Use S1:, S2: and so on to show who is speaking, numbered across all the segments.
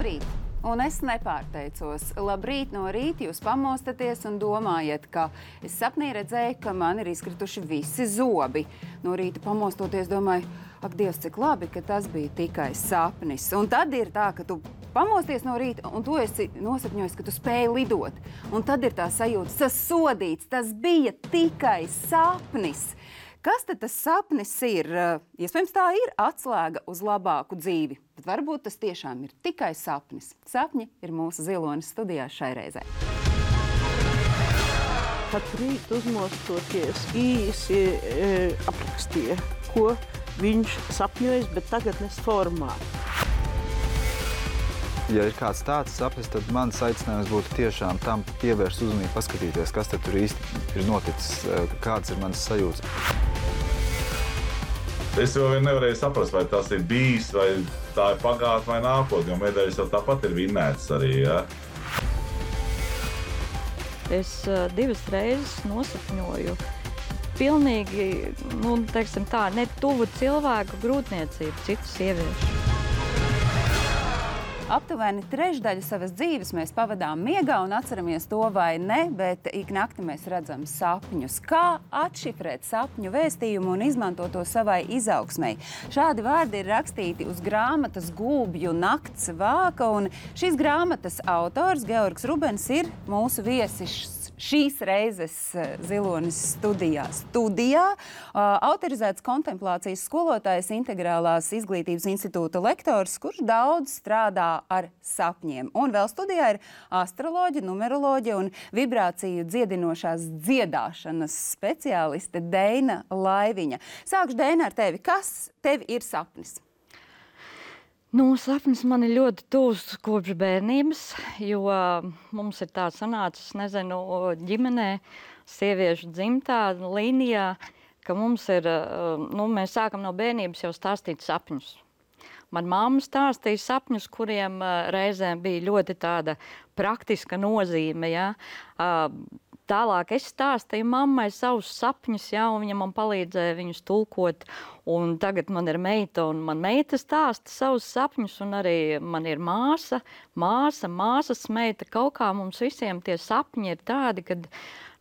S1: Labrīt! Un es nepārteicos. Labrīt no rīta jūs pamostaties un domājat, ka es sapnī redzēju, ka man ir izkrituši visi zobi. No rīta pamostoties domāju, ak, Dievs, cik labi, ka tas bija tikai sapnis. Un tad ir tā, ka tu pamosties no rīta un tu esi nosapņojis, ka tu spēji lidot. Un tad ir tā sajūta, tas sodīts, tas bija tikai sapnis. Kas tad tas sapnis ir? Iespējams, tā ir atslēga uz labāku dzīvi. Bet varbūt tas tiešām ir tikai sapnis. Sapņi ir mūsu Zilonis studijā šai reizē.
S2: Katru rītu uzmostoties īsi aprakstīja, ko viņš sapņojas, bet tagadnes formā.
S3: Ja ir kāds tāds sapnis, tad mans aicinājums būtu tiešām tam pievērst uzmanību, paskatīties, kas tad tur īsti ir noticis, kāds ir mans sajūtas.
S4: Es jau nevarēju saprast, vai tas ir bijis, vai tā ir pagātne vai nākotne, jo medaļas jau tāpat ir vinnētas arī, ja?
S5: Es 2 reizes nosapņoju pilnīgi, teiksim tā, ne tuvu cilvēku grūtniecību, citu sieviešu.
S1: Aptuveni trešdaļu savas dzīves mēs pavadām miegā un atceramies to vai ne, bet ik nakti mēs redzam sapņus. Kā atšifrēt sapņu vēstījumu un izmantot to savai izaugsmei? Šādi vārdi ir rakstīti uz grāmatas Gulbju nakts vāka, un šīs grāmatas autors Georgs Rubens ir mūsu viesis šīs reizes Zilonis studijā. Autorizēts kontemplācijas skolotājs, Integrālās izglītības institūta lektors, kurš daudz strādā ar sapņiem. Un vēl studijā ir astroloģe, numeroloģe un vibrāciju dziedinošās dziedāšanas speciāliste Deina Laiviņa. Sākšu, Deina, ar tevi. Kas tev ir sapnis?
S5: Sapnis man ir ļoti tuvs kopš bērnības, jo mums ir tā sanācis, ģimenē, sieviešu dzimtā līnijā, ka mums ir, mēs sākam no bērnības jau stāstīt sapņus. Man mamma stāstīja sapņus, kuriem reizēm bija ļoti tāda praktiska nozīme, ja. Tālāk es stāstīju mammai savus sapņus, ja, un viņa man palīdzēja viņus tulkot. Un tagad man ir meita, un man meita stāsta savus sapņus, un arī man ir māsas meita. Kaut kā mums visiem tie sapņi ir tādi, kad,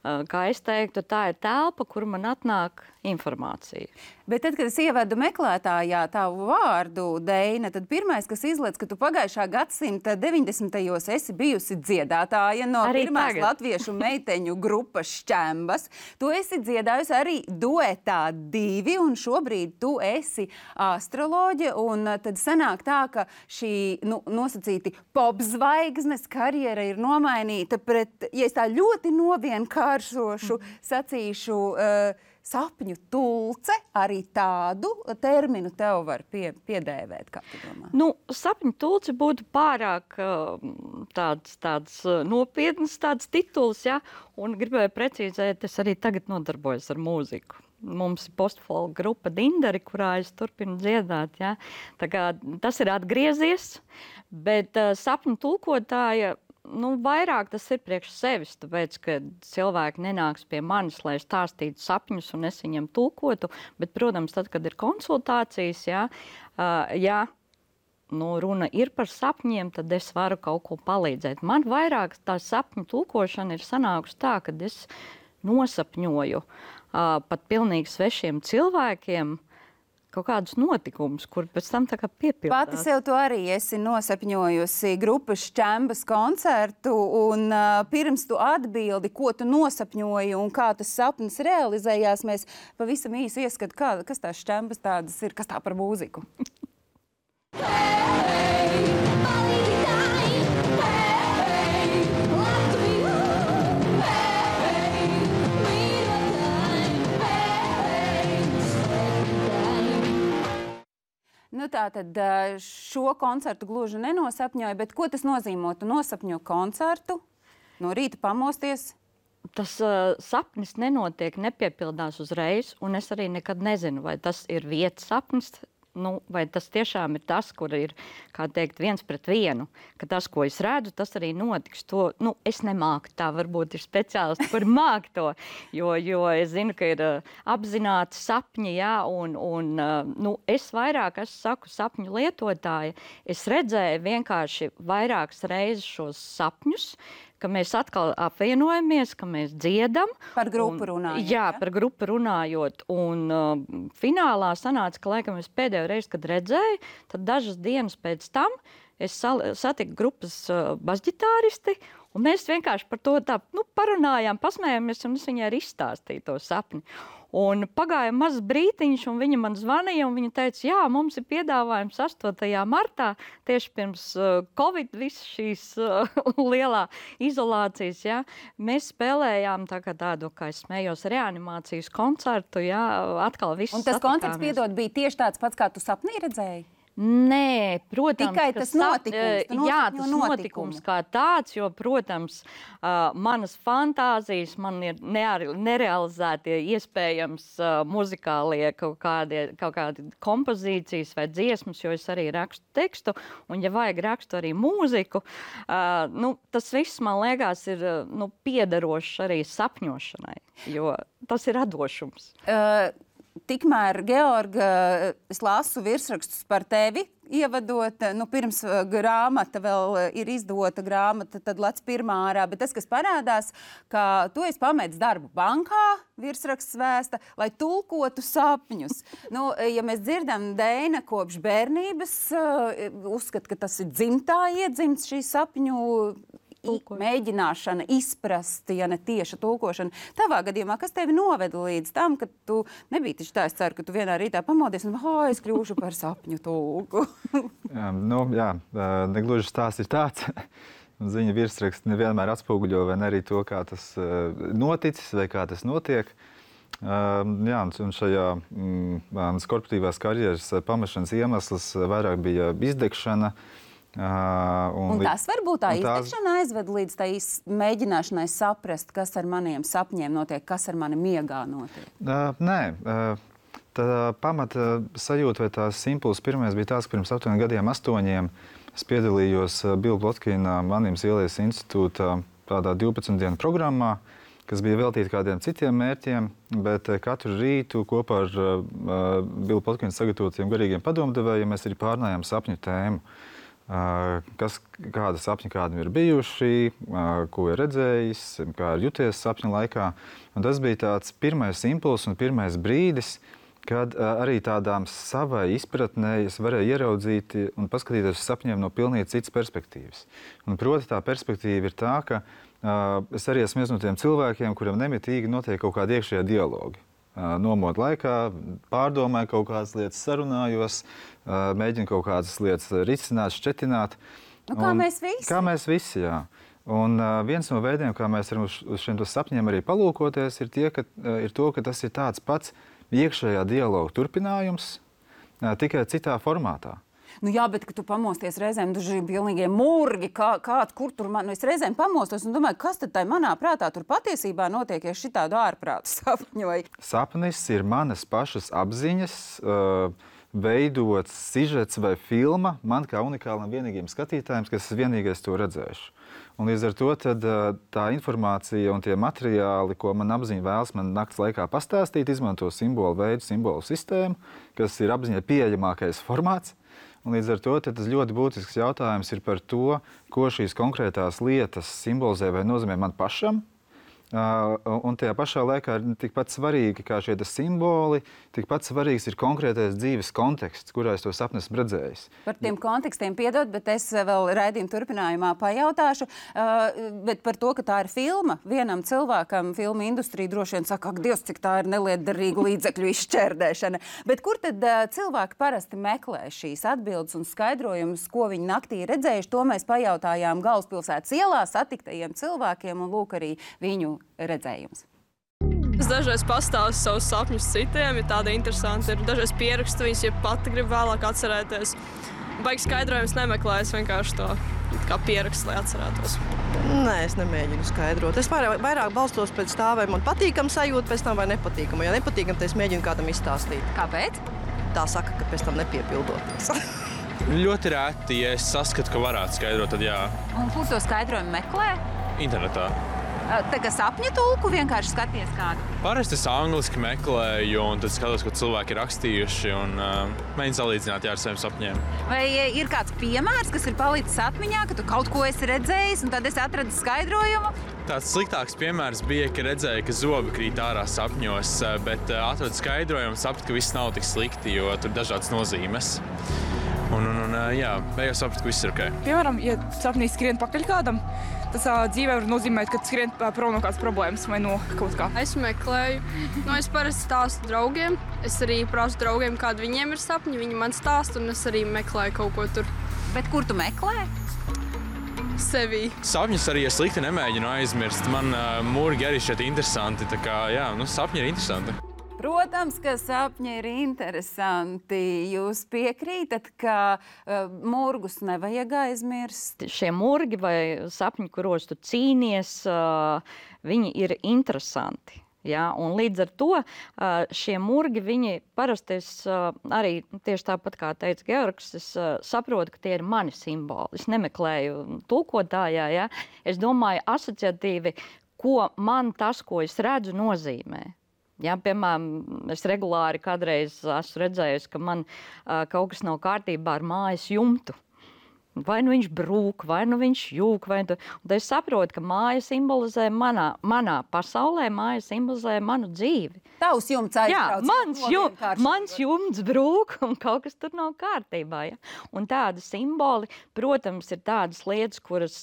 S5: kā es teiktu, tā ir telpa, kur man atnāk informācija.
S1: Bet tad, kad es ievedu meklētājā tavu vārdu, Deina, tad pirmais, kas izlec, ka tu pagājušā gadsimta 90. esi bijusi dziedātāja no
S5: arī
S1: pirmās
S5: tagad.
S1: Latviešu meiteņu grupas Šķembas. Tu esi dziedājusi arī duetā 2, un šobrīd tu esi astroloģe, un tad sanāk tā, ka šī nosacīti popzvaigznes karjera ir nomainīta pret, ja es tā ļoti novienkāršošu, sacīšu, sapņu tulce, arī tādu terminu tev var piedēvēt, kā tu domā?
S5: Sapņu tulce būtu pārāk tāds nopietns tāds tituls, ja, un gribēju precīzēt, es arī tagad nodarbojos ar mūziku. Mums ir postfolk grupa Dindari, kurā es turpinu dziedāt, ja. Tā kā tas ir atgriezies, bet sapņu tulkotāja, vairāk tas ir priekš sevis, tāpēc, ka cilvēki nenāks pie manis, lai stāstītu sapņus un es viņiem tulkotu, bet, protams, tad, kad ir konsultācijas, ja runa ir par sapņiem, tad es varu kaut ko palīdzēt. Man vairāk tā sapņu tulkošana ir sanākusi tā, kad es nosapņoju pat pilnīgi svešiem cilvēkiem kaut kādus notikumus, kur pēc tam tā kā piepildās.
S1: Pati sev tu arī esi nosapņojusi grupas Šķembas koncertu, un pirms tu atbildi, ko tu nosapņoji un kā tas sapnis realizējās, mēs pavisam īsi ieskatu, kas tās Šķembas tādas ir, kas tā par mūziku. Tātad šo koncertu gluži nenosapņoju, bet ko tas nozīmē? Tu nosapņo koncertu, no rīta pamosties?
S5: Tas sapnis nenotiek, nepiepildās uzreiz, un es arī nekad nezinu, vai tas ir vietas sapnis, vai tas tiešām ir tas, kur ir, kā teikt, 1 pret 1, ka tas, ko es redzu, tas arī notiks. To, es nemāku tā, varbūt ir speciālisti, kur māk to, jo es zinu, ka ir apzināti sapņi, jā, un es vairāk, es saku sapņu lietotāja, es redzēju vienkārši vairākas reizes šos sapņus, ka mēs atkal apvienojamies, ka mēs dziedam.
S1: Par grupu runājot.
S5: Jā, par grupu runājot. Un finālā sanāca, ka, laikam, es pēdējo reizi, kad redzēju, tad dažas dienas pēc tam es satiku grupas basģitāristi, un mēs vienkārši par to tā, parunājām, pasmējāmies, un es viņai arī izstāstīju to sapni. Un pagāja mazs brītiņš, un viņa man zvanīja, un viņa teica, jā, mums ir piedāvājums 8. martā, tieši pirms Covid, visas šīs lielā izolācijas, jā. Mēs spēlējām tādu, kā es smējos, reanimācijas koncertu, jā, atkal viss.
S1: Un tas koncerts, piedod, bija tieši tāds pats, kā tu sapnī redzēji?
S5: Nē, protams,
S1: tikai tas notikums.
S5: Jā, tas notikums kā tāds, jo, protams, manas fantāzijas, man ir nerealizētie iespējams muzikālie kaut kādi kompozīcijas vai dziesmas, jo es arī rakstu tekstu, un, ja vajag rakstu arī mūziku, tas viss, man liekas, ir piederošs arī sapņošanai, jo tas ir radošums.
S1: Tikmēr, Georga, es lasu virsrakstus par tevi, ievadot, pirms grāmata vēl ir izdota grāmata, tad lec pirmā ārā, bet tas, kas parādās, ka tu esi pametis darbu bankā, virsraksts vēsta, lai tulkotu sapņus. Ja mēs dzirdam, Deina kopš bērnības uzskata, ka tas ir dzimtā iedzimts šī sapņu mēģināšana izprast, ja ne tieša tulkošana. Tavā gadījumā, kas tevi noveda līdz tam, ka tu nebija taču tā, es ceru, ka tu vienā rītā pamodies un es kļūšu par sapņu tulku?
S3: Jā, negluži stāsts ir tāds. Ziņa virsraksts nevienmēr atspoguļo vai arī to, kā tas noticis vai kā tas notiek. Jā, un šajā korporatīvās karjeras pamešanas iemesls vairāk bija izdegšana.
S1: Un tas varbūt tā izdegšana aizved līdz tai mēģināšanai saprast, kas ar maniem sapņiem notiek, kas ar mani miegā notiek?
S3: Nē, tā pamata sajūta vai tās impulss pirmais bija tās, ka pirms 8 gadiem, 8, es piedalījos Bila Plotkina Anīmas Ielijas institūta tādā 12 dienu programmā, kas bija veltīta kādiem citiem mērķiem, bet katru rītu kopā ar Bila Plotkina sagatavotiem garīgiem padomdevējiem mēs arī pārnājām sapņu tēmu. Kāda sapņa kādam ir bijuši, ko ir redzējis, kā ir juties sapņa laikā. Un tas bija tāds pirmais impulss un pirmais brīdis, kad arī tādām savai izpratnē es varēju ieraudzīt un paskatīties uz sapņiem no pilnīgi citas perspektīvas. Un proti tā perspektīva ir tā, ka es arī esmu viens no tiem cilvēkiem, kuriem nemitīgi notiek kaut kādi iekšējie dialogi. Nomodu laikā pārdomāju kaut kādas lietas, sarunājos, mēģinu kaut kādas lietas risināt, šķetināt.
S1: Kā mēs visi?
S3: Kā mēs visi, jā. Un viens no veidiem, kā mēs varam uz šiem sapņiem arī palūkoties, ir to, ka tas ir tāds pats iekšējā dialoga turpinājums, tikai citā formātā.
S1: Jā, bet, kad tu pamosties reizēm, daži pilnīgie murgi, kur tur man, es reizēm pamostos un domāju, kas tad tai manā prātā tur patiesībā notiek, ja šitādu ārprātu sapņoju?
S3: Sapnis ir manas pašas apziņas, veidots sižets vai filma, man kā unikālam vienīgiem skatītājiem, kas es vienīgais to redzēšu. Un līdz ar to tad, tā informācija un tie materiāli, ko man apziņa vēlas man nakts laikā pastāstīt, izmanto simbolu veidu, simbolu sistēmu, kas ir apziņai pieejamākais formāts. Un līdz ar to tas ļoti būtisks jautājums ir par to, ko šīs konkrētās lietas simbolizē vai nozīmē man pašam. Un tajā pašā laikā ir tikpat svarīgi kā šie simboli, tikpat svarīgs ir konkrētais dzīves konteksts, kurā es to sapni esmu redzējis.
S1: Par tiem kontekstiem piedod, bet es vēl raidījuma turpinājumā pajautāšu. Bet par to, ka tā ir filma, vienam cilvēkam filmu industrija droši vien saka, ak, Dievs, cik tā ir nelietderīga līdzekļu izšķērdēšana. Bet kur tad cilvēki parasti meklē šīs atbildes un skaidrojumus, ko viņi naktī redzējuši? To mēs pajautājām Galvaspilsētas ielā satiktajiem cilvēkiem un lūk arī viņu redzējums.
S6: Es dažreiz pastāstu savus sapņus citiem, ja tāda interesanta ir. Dažreiz pierakstu viņus, ja pati grib vēlāk atcerēties. Baigi skaidrojums nemeklēju, es vienkārši to kā pierakstu, lai atcerētos.
S7: Nē, es nemēģinu skaidrot. Es vairāk balstos pēc tā, vai man patīkam sajūta pēc tam vai nepatīkam. Ja nepatīkam, tad es mēģinu kādam izstāstīt.
S1: Kāpēc?
S7: tā saka, ka pēc tam nepiepildoties.
S8: Ļoti reti, ja es saskatu, ka varētu skaidrot, tad jā.
S1: Un kur to skaidrojumu meklē?
S8: Internetā.
S1: Tā kā sapņu tulku vienkārši skaties kādu?
S8: Parasti es angliski meklēju, un tad skatos, ko cilvēki ir rakstījuši, un mēģinu salīdzināt ar saviem sapņiem.
S1: Vai ir kāds piemērs, kas ir palicis atmiņā, ka tu kaut ko esi redzējis, un tad esi atradis skaidrojumu?
S8: Tāds sliktāks piemērs bija, ka redzēju, ka zobi krīt ārā sapņos, bet atradu skaidrojumu, sapratu, ka viss nav tik slikti, jo tur ir dažādas nozīmes. Jā, beigās sapratu, ka viss ir ok.
S9: Piemēram, ja sapnī skrien pakaļ kādam, tas dzīvē var nozīmēt, ka skrien prom no kādas problēmas vai no kaut kā.
S6: Es meklēju. Es parasti stāstu draugiem. Es arī prasu draugiem, kādi viņiem ir sapņi. Viņi man stāsta, un es arī meklēju kaut ko tur.
S1: Bet kur tu meklē?
S6: Sevī.
S8: Sapņus arī slikti nemēģinu aizmirst. Man mūrgi arī šeit interesanti, tā kā, jā, sapņi ir interesanti.
S1: Protams, ka sapņi ir interesanti. Jūs piekrītat, ka murgus nevajag aizmirst?
S5: Šie murgi vai sapņi, kuros tu cīnies, viņi ir interesanti. Ja? Un līdz ar to šie murgi, viņi parasti arī tieši tāpat kā teica Georgs, es saprotu, ka tie ir mani simboli. Es nemeklēju tulkotājā, ja? Es domāju asociatīvi, ko man tas, ko es redzu, nozīmē. Ja, piemēram, es regulāri kādreiz esmu redzējusi, ka man kaut kas nav kārtībā ar mājas jumtu. Vai nu viņš brūk, vai nu viņš jūk. Un tad es saprotu, ka māja simbolizē manā pasaulē, māja simbolizē manu dzīvi.
S1: Tavs jumts aizbrauc.
S5: Jā, mans jumts brūk un kaut kas tur nav kārtībā. Ja? Un tādi simboli, protams, ir tādas lietas, kuras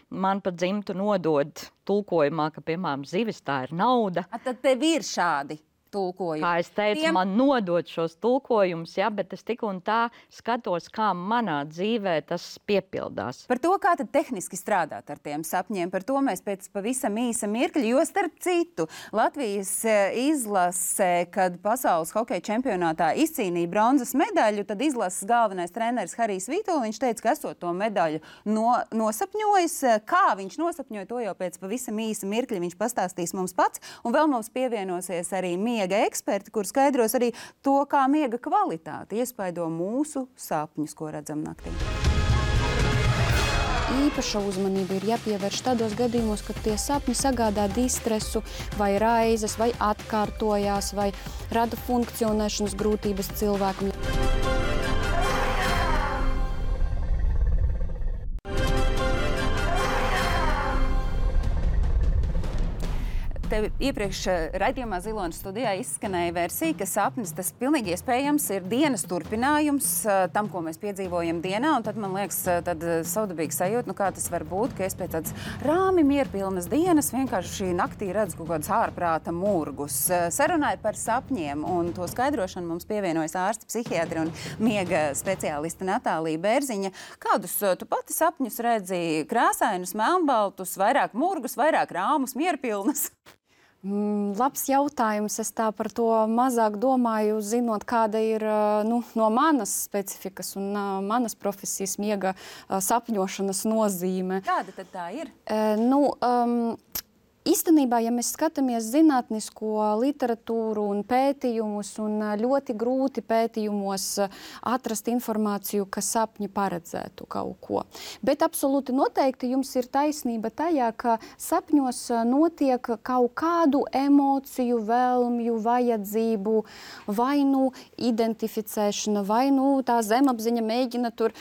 S5: man pa dzimtu nodod tulkojumā, ka, piemēram, zivis tā ir nauda.
S1: Tad tev ir šādi tulkojumi.
S5: Kā es teicu, man nodod šos tulkojumus, ja, bet es tik un tā skatos, kā manā dzīvē tas piepildās.
S1: Par to, kā tad tehniski strādāt ar tiem sapņiem, par to mēs pēc pavisam īsa mirkļa, jo starp citu Latvijas izlase, kad pasaules hokeja čempionātā izcīnīja bronzas medaļu, tad izlases galvenais treneris Harijs Vītols, viņš teica, ka esot to medaļu nosapņojis. Kā viņš nosapņoja, to jau pēc pavisam īsa mirkļa viņš pastāstīs mums pats, un vēl mums pievienosies arī miega eksperti, kur skaidros arī to, kā miega kvalitāte iespaido mūsu sapņus, ko redzam naktī.
S10: Īpaša uzmanība ir jāpievērš tādos gadījumos, kad tie sapņi sagādā distresu vai raizes, vai atkārtojās, vai rada funkcionēšanas grūtības cilvēkam.
S1: Tev iepriekš raidījumā Zilonas studijā izskanēja versija, ka sapnis tas pilnīgi iespējams ir dienas turpinājums tam, ko mēs piedzīvojam dienā, un tad man liekas tad savdabīgi sajūta, kā tas var būt, ka es pēc tādas rāmi mierpilnas dienas vienkārši naktī redzu kaut kādus ārprāta murgus. Sarunāju par sapņiem, un to skaidrošanu mums pievienojas ārsti, psihiatri un miega speciāliste Natālija Bērziņa. Kādus tu pati sapņus redzi? Krāsainus, melnbaltus, vairāk murgus, vairāk rāmus, mierpilnas?
S10: Labs jautājums. Es tā par to mazāk domāju, zinot, kāda ir no manas specifikas un manas profesijas miega sapņošanas nozīme.
S1: Kāda tad tā ir?
S10: Īstenībā, ja mēs skatāmies zinātnisko literatūru un pētījumus, un ļoti grūti pētījumos atrast informāciju, ka sapņi paredzētu kaut ko. Bet absolūti noteikti jums ir taisnība tajā, ka sapņos notiek kaut kādu emociju, vēlmju, vajadzību, vai nu identificēšana, vai nu tā zemapziņa mēģina tur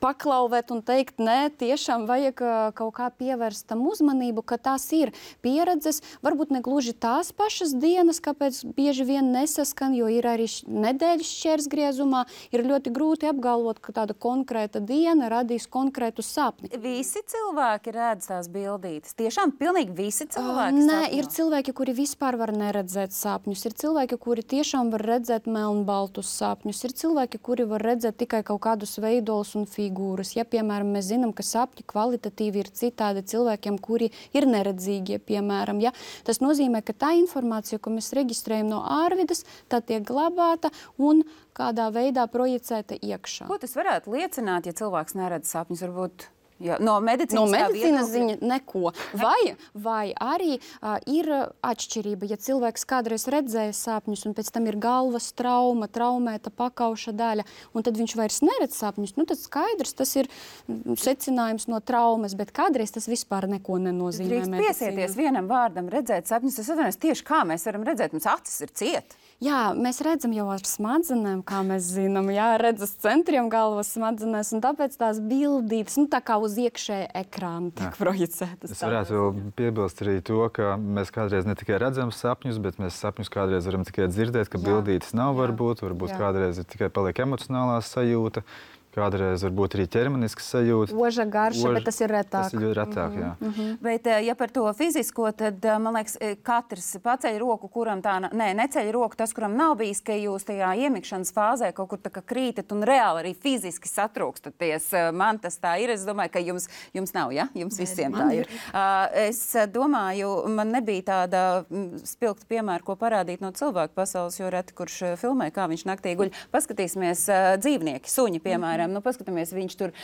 S10: paklauvēt un teikt, nē, tiešām vajag kaut kā pievērst tam uzmanību, ka tās ir pieredzes, varbūt ne gluži tās pašas dienas, kāpēc bieži vien nesaskan, jo ir arī nedēļas šķērsgriezumā, ir ļoti grūti apgalvot, ka tāda konkrēta diena radīs konkrētu sapni.
S1: Visi cilvēki redz tās bildītes? Tiešām pilnīgi visi cilvēki
S10: Nē, ir cilvēki, kuri vispār var neredzēt sapņus, ir cilvēki, kuri tiešām var redzēt melnbaltus sapņus, ir cilvēki, kuri var redzēt tikai kaut kādus veidolus un figūras. Ja, piemēram, mēs zinām, ka sapņi kvalitatīvi ir citādi cilvēkiem, kuri ir neredzīgie, piemēram, ja? Tas nozīmē, ka tā informācija, ko mēs reģistrējam no ārvides, tā tiek glabāta un kādā veidā projicēta iekšā.
S1: Ko tas varētu liecināt, ja cilvēks neredz sapņus? Varbūt Jā, no medicīnas
S10: ziņa neko. Vai arī ir atšķirība, ja cilvēks kādreiz redzēja sapņus, un pēc tam ir galvas trauma, traumēta pakauša daļa, un tad viņš vairs neredz sapņus, tad skaidrs, tas ir secinājums no traumas, bet kādreiz tas vispār neko nenozīmē.
S1: Drīkst piesieties vienam vārdam, redzēt sapņus. Es atvainojos, tieši kā mēs varam redzēt, mums acis ir ciet.
S10: Jā, mēs redzam jau ar smadzenēm, kā mēs zinām, redzas centriem galvas smadzenēs, un tāpēc tās bildītas, tā kā uz iekšēja ekrāna tiek projicētas.
S3: Es varētu vēl piebilst arī to, ka mēs kādreiz ne tikai redzam sapņus, bet mēs sapņus kādreiz varam tikai dzirdēt, ka bildītas nav varbūt kādreiz ir tikai paliek emocionālā sajūta. Kādreiz varbūt arī ķermenisks sajūta.
S10: Oža garša, bet tas ir retāk.
S3: Tas ir retāk, jā.
S1: Bet, ja par to fizisko, tad, man liekas, katrs paceļ roku, kuram tā, neceļ roku tas, kuram nav bijis, ka jūs tajā iemikšanas fāzē kaut kur tā kā krītat un reāli arī fiziski satrūkstaties. Man tas tā ir. Es domāju, ka jums nav, ja? Jums visiem tā ir. Es domāju, man nebija tāda spilgta piemēra, ko parādīt no cilvēku pasaules, jo reti, kurš filmē, kā viņš naktī guļ. Paskatīsimies dzīvnieki, suņi, piemēram. Paskatāmies, viņš tur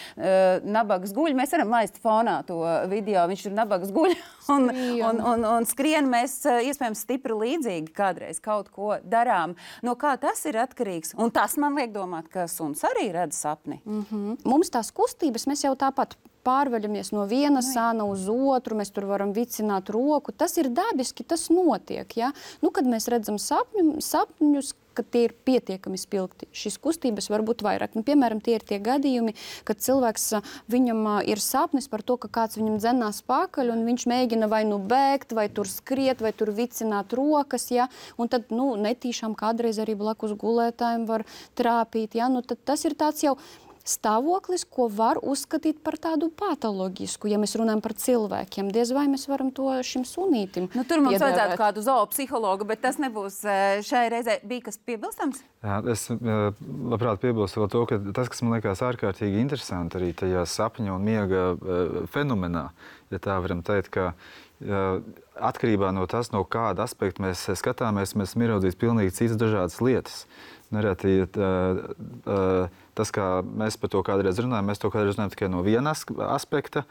S1: nabagas guļ. Mēs varam laist fonā to video. Viņš tur nabagas guļ un skrien. Mēs iespējams stipri līdzīgi kādreiz kaut ko darām. No kā tas ir atkarīgs? Un tas man liek domāt, ka suns arī redz sapni.
S10: Mums tās kustības, mēs jau tāpat pārveļamies no viena sāna uz otru, mēs tur varam vicināt roku. Tas ir dabiski, tas notiek. Ja? Kad mēs redzam sapņus, ka tie ir pietiekami spilgti. Šīs kustības var būt vairāk. Piemēram, tie ir tie gadījumi, kad cilvēks, viņam ir sapnis par to, ka kāds viņam dzenās pakaļ, un viņš mēģina vai nu bēgt, vai tur skriet, vai tur vicināt rokas, ja? Un tad, netīšām kādreiz arī blakus gulētājiem var trāpīt, ja? Tad tas ir tāds jau stāvoklis, ko var uzskatīt par tādu patoloģisku, ja mēs runājam par cilvēkiem. Diez vai mēs varam to šim sunītim
S1: tur mums vajadzētu kādu zoopsihologu, bet tas nebūs šai reizē. Bija kas piebilstams?
S3: Jā, es labprāt piebilstu vēl to, ka tas, kas man liekas ārkārtīgi interesanti arī tajā sapņu un miega fenomenā, ja tā varam teikt, ka atkarībā no tas, no kāda aspekta mēs skatāmies, mēs ieraudzīs pilnīgi citas dažādas lietas. Nereti tas, kā mēs par to kādreiz runājam, mēs to kādreiz runājam tikai no viena aspekta.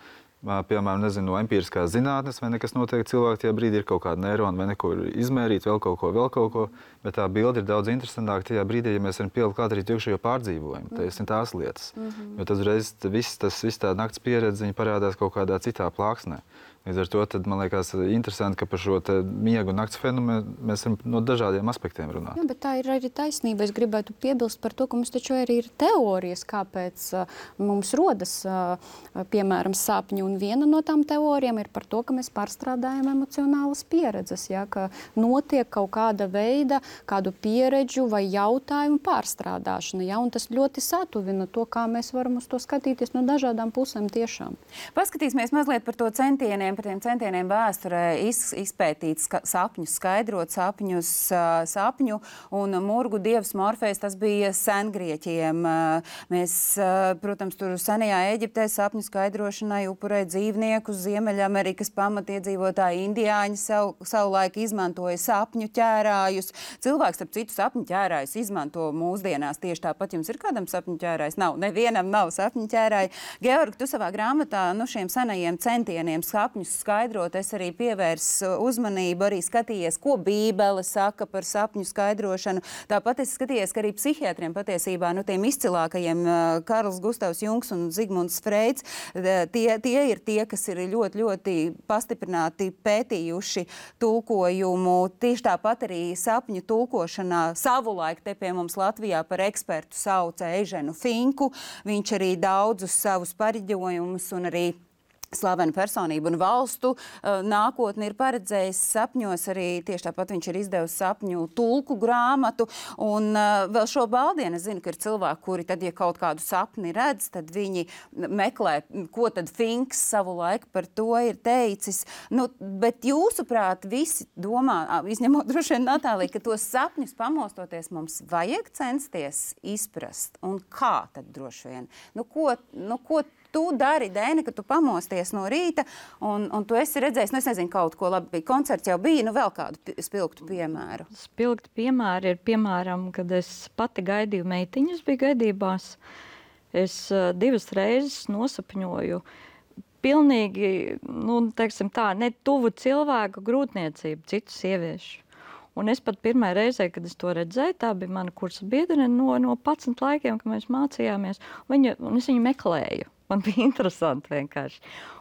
S3: Piemēram, no empiriskās zinātnes, vai nekas notiek cilvēku tajā brīdī, ir kaut kāda neirona, vai neko izmērīt, vēl kaut ko. Bet tā bilde ir daudz interesantāka tajā brīdī, ja mēs varam pielikt klāt arī iekšējo pārdzīvojumu. Tas ir tās lietas. Jo tad uzreiz viss tā nakts pieredze parādās kaut kādā citā plāksnē. Līdz ar to tad, man liekas interesanti, ka par šo miegu un nakts fenomenu mēs varam no dažādiem aspektiem runāt.
S10: Jā, bet tā ir arī taisnība. Es gribētu piebilst par to, ka mums taču arī ir teorijas, kāpēc mums rodas, piemēram, sapņi. Un viena no tām teorijām ir par to, ka mēs pārstrādājam emocionālas pieredzes, ja, ka notiek kaut kāda veida, kādu pieredžu vai jautājumu pārstrādāšana. Ja, un tas ļoti satuvina to, kā mēs varam uz to skatīties no dažādām pusēm tiešām.
S1: Paskatīsimies mazliet par to par tiem centieniem vēsturē izpētīt sapņus, skaidrot sapņu un murgu dievs Morfejs, tas bija sengrieķiem. Mēs, protams, tur senajā Eģiptē sapņu skaidrošanai upurēja dzīvniekus, Ziemeļamerikas pamatiedzīvotāji indiāņi savulaik izmantoja sapņu ķērājus. Cilvēks, starp citu, sapņu ķērājus izmanto mūsdienās tieši tāpat. Jums ir kādam sapņu ķērājs? Nav, nevienam nav sapņu ķērāji. Georg, tu savā grāmatā šiem senajiem centieniem sapņus skaidrot, es arī pievērsu uzmanību, arī skatījies, ko Bībele saka par sapņu skaidrošanu. Tāpat es skatījies, ka arī psihiatriem patiesībā, tiem izcilākajiem Karls Gustavs Jungs un Zigmunds Freids, tie ir tie, kas ir ļoti, ļoti pastiprināti pētījuši tulkojumu. Tieši tāpat arī sapņu tulkošanā savulaik te pie mums Latvijā par ekspertu sauca Eženu Finku. Viņš arī daudzus savus pareģojumus un arī slavenu personību un valstu nākotni ir paredzējis sapņos. Arī tieši tāpat viņš ir izdevusi sapņu tulku grāmatu. Un vēl šo baldienu es zinu, ka ir cilvēki, kuri tad, ja kaut kādu sapni redz, tad viņi meklē, ko tad Finks savu laiku par to ir teicis. Bet jūsuprāt, visi domā, izņemot droši vien Natāliju, ka tos sapņus pamostoties mums vajag censties izprast. Un kā tad droši vien? Ko tu dari, Dēni, ka tu pamosties no rīta un tu esi redzējis, es nezinu, kaut ko labi, koncerts jau bija, vēl kādu spilgtu piemēru.
S5: Spilgti piemēri ir, piemēram, kad es pati gaidīju meitiņas, biju gaidībās. Es 2 reizes nosapņoju pilnīgi, teiksim tā, ne tuvu cilvēku grūtniecību, citu sieviešu. Un es pat pirmā reizē, kad es to redzēju, tā bija mana kursa biedrene no 11 laikiem, kad mēs mācījāmies, un es viņu meklēju. Man bija interesanti vienkārši.